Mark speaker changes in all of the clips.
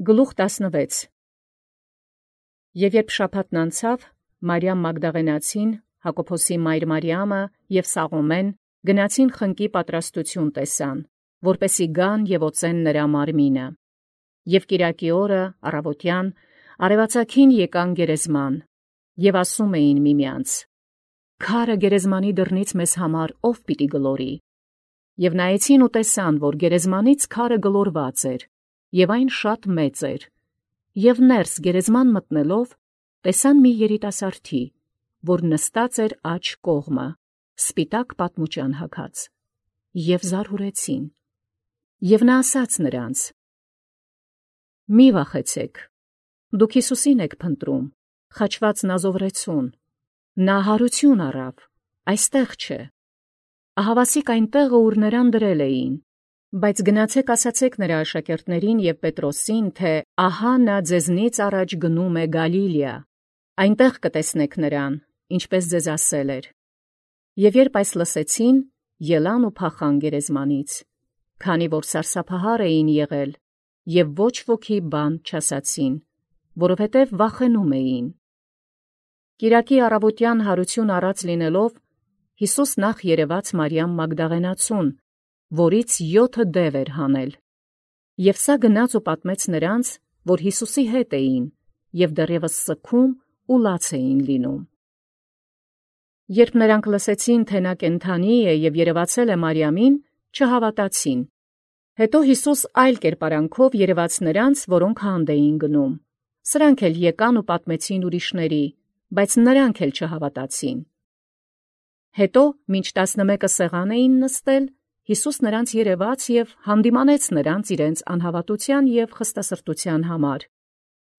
Speaker 1: Գլուխ 16 Եվ երբ շաբաթն անցավ, Մարիամ Մագդաղենացին, Հակոբոսի մայր Մարիամը և Սաղոմեն գնացին խնկի պատրաստություն տեսան, որպեսի գան և օծեն նրա մարմինը։ Եւ կիրակի օրը առավոտյան արևածագին եկան գերեզման, եւ ասում էին միմյանց. «Քարը գերեզմանի դռնից մեզ համար ով պիտի գլորի»։ Եւ նայեցին ու տեսան, որ գերեզմանից քարը գլորված էր, եւ այն շատ մեծ էր, եւ ներս գերեզման մտնելով, տեսան մի երիտասարդի, որ նստած էր աջ կողմը, սպիտակ պատմուճան հագած, եւ զարհուրեցին։ Եւ նա ասաց նրանց. «Մի վախեցեք, դուք Հիսուսին եք փնտրում, խաչված Նազովրեցուն, նա հարություն առավ, այստեղ չէ, ահավասիկ այն տեղը, ուր նրան դրել էին, բայց գնացեք ասացեք նրա աշակերտներին եւ Պետրոսին, թե ահա նա ձեզնից առաջ գնում է Գալիլեա, այնտեղ կտեսնեք նրան, ինչպես ձեզ ասել էր»։ Եւ երբ այս լսեցին, ելան ու փախան գերեզմանից, քանի որ սարսափահար էին եղել, եւ ոչ ոքի բան չասացին, որովհետեւ վախենում էին։ Կիրակի առավոտյան հարություն առած լինելով, Հիսուս նախ երևաց Մարիամ Մագդաղենացուն, որից 7 դև էր հանել, եւ սա գնաց ու պատմեց նրանց, որ Հիսուսի հետ էին, եւ դեռևս սգում ու լաց էին լինում։ Երբ նրանք լսեցին, թե նա կենդանի է եւ երևացել է Մարիամին, չհավատացին։ Հետո Հիսուս այլ կերպարանքով երևաց նրանց, որոնք հանդ էին գնում։ Սրանք էլ եկան ու պատմեցին ուրիշների, բայց նրանք էլ չհավատացին։ Հետո, մինչ 11 սեղան էին նստել, Հիսուս նրանց երևաց եւ հանդիմանեց նրանց իրենց անհավատության եւ խստասրտության համար,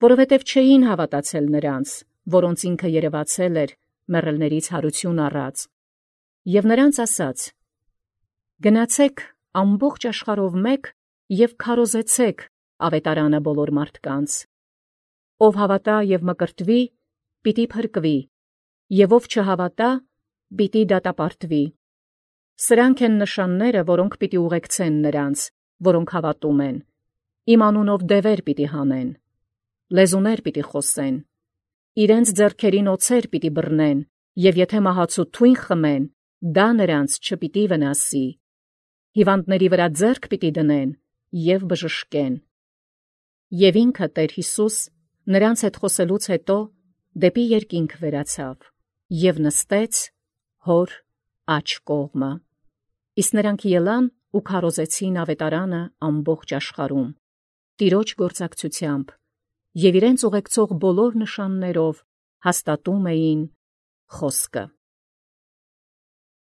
Speaker 1: որովհետեւ չէին հավատացել նրանց, որոնց ինքը երևացել էր, մեռելներից հարություն առած։ Եւ նրանց ասաց. «Գնացեք ամբողջ աշխարհով մեկ եւ քարոզեցեք ավետարանը բոլոր մարդկանց։ Ով հավատա եւ մկրտվի, պիտի փրկվի, եւ ով չհավատա, պիտի դատապարտվի։ Սրանք են նշանները, որոնք պիտի ուղեկցեն նրանց, որոնք հավատում են. իմ անունով դևեր պիտի հանեն, լեզուներ պիտի խոսեն, իրենց ձեռքերին օձեր պիտի բռնեն, եւ եթե մահացու թույն խմեն, դա նրանց չպիտի վնասի, հիվանդների վրա ձեռք պիտի դնեն եւ բժշկեն»։ Եվ ինքը Տեր Հիսուս նրանց հետ խոսելուց հետո դեպի երկինք վերացավ եւ նստեց հոր աջ կողմը։ Իսկ նրանք ելան ու քարոզեցին ավետարանը ամբողջ աշխարհում, Տիրոջ գործակցությամբ, եւ իրենց ուղեկցող բոլոր նշաններով հաստատում էին խոսքը։